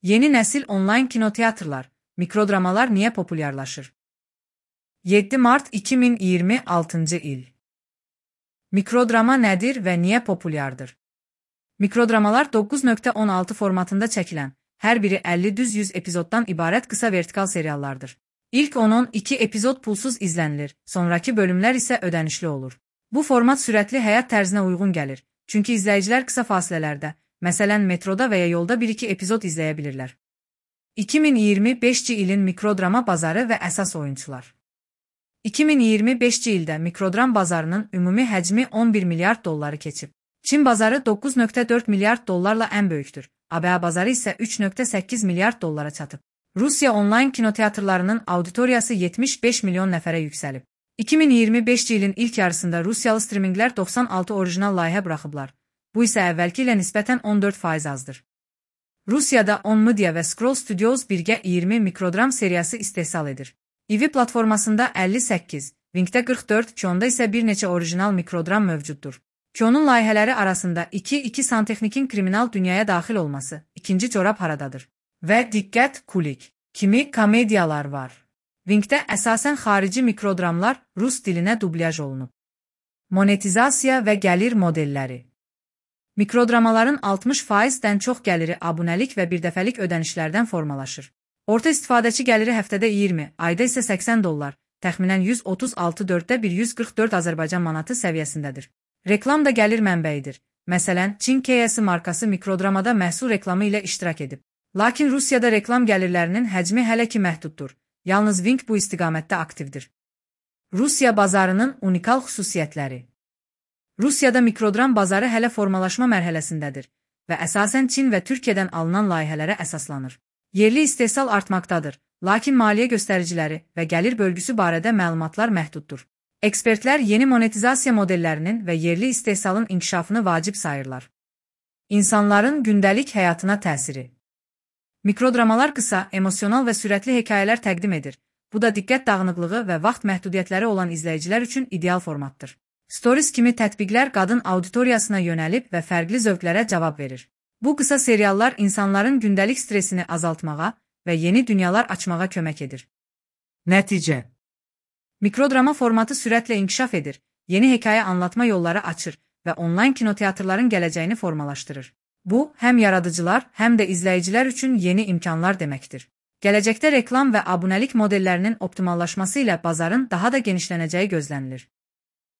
Yeni nesil online kinoteatrlar, mikrodramalar niye popülerlaşır? 7 Mart 2026 il. Mikrodrama nədir və niyə populyardır? Mikrodramalar 9.16 formatında çəkilən, hər biri 50-100 epizoddan ibarət qısa vertikal seriallardır. İlk 10-12 epizod pulsuz izlənilir, sonraki bölümlər isə ödənişli olur. Bu format sürətli həyat tərzinə uyğun gəlir, çünki izləyicilər qısa fasilələrdə, məsələn metroda və ya yolda 1-2 epizod izləyə bilirlər. 2025 ilin mikrodrama bazarı və əsas oyunçular. 2025 ildə mikrodram bazarının ümumi həcmi 11 milyard dolları keçib. Çin bazarı 9.4 milyard dollarla ən böyükdür. ABŞ bazarı isə 3.8 milyard dollara çatıb. Rusiya onlayn kinoteatrlarının auditoriyası 75 milyon nəfərə yüksəlib. 2025 ilin ilk yarısında Rusiyalı streaminglər 96 orijinal layihə buraxıblar. Bu isə əvvəlki ilə nisbətən 14% azdır. Rusiyada On Media və Scroll Studios birgə 20 mikrodram seriyası istehsal edir. İvi platformasında 58, Wingdə 44, Kionda isə bir neçə orijinal mikrodram mövcuddur. Kionun layihələri arasında 2 santexnikin kriminal dünyaya daxil olması, ikinci corab haradadır və Diqqət Kulik kimi komediyalar var. Wingdə əsasən xarici mikrodramlar rus dilinə dublyaj olunub. Monetizasiya və gəlir modelləri. Mikrodramaların 60%-dən çox gəliri abunəlik və birdəfəlik ödənişlərdən formalaşır. Orta istifadəçi gəliri həftədə 20, ayda isə 80 dollar, təxminən 136,144 Azərbaycan manatı səviyyəsindədir. Reklam da gəlir mənbəyidir. Məsələn, Çin KS markası mikrodramada məhsul reklamı ilə iştirak edib. Lakin Rusiyada reklam gəlirlərinin həcmi hələ ki məhduddur. Yalnız Wing bu istiqamətdə aktivdir. Rusiya bazarının unikal xüsusiyyətləri. Rusiyada mikrodram bazarı hələ formalaşma mərhələsindədir və əsasən Çin və Türkiyədən alınan layihələrə əsaslanır. Yerli istehsal artmaqdadır, lakin maliyyə göstəriciləri və gəlir bölgüsü barədə məlumatlar məhduddur. Ekspertlər yeni monetizasiya modellərinin və yerli istehsalın inkişafını vacib sayırlar. İnsanların gündəlik həyatına təsiri. Mikrodramalar qısa, emosional və sürətli hekayələr təqdim edir. Bu da diqqət dağınıqlığı və vaxt məhdudiyyətləri olan izləyicilər üçün ideal formatdır. Stories kimi tətbiqlər qadın auditoriyasına yönəlib və fərqli zövqlərə cavab verir. Bu qısa seriallar insanların gündəlik stresini azaltmağa və yeni dünyalar açmağa kömək edir. Nəticə. Mikrodrama formatı sürətlə inkişaf edir, yeni hekayə anlatma yolları açır və onlayn kinoteatrların gələcəyini formalaşdırır. Bu, həm yaradıcılar, həm də izləyicilər üçün yeni imkanlar deməkdir. Gələcəkdə reklam və abunəlik modellərinin optimallaşması ilə bazarın daha da genişlənəcəyi gözlənilir.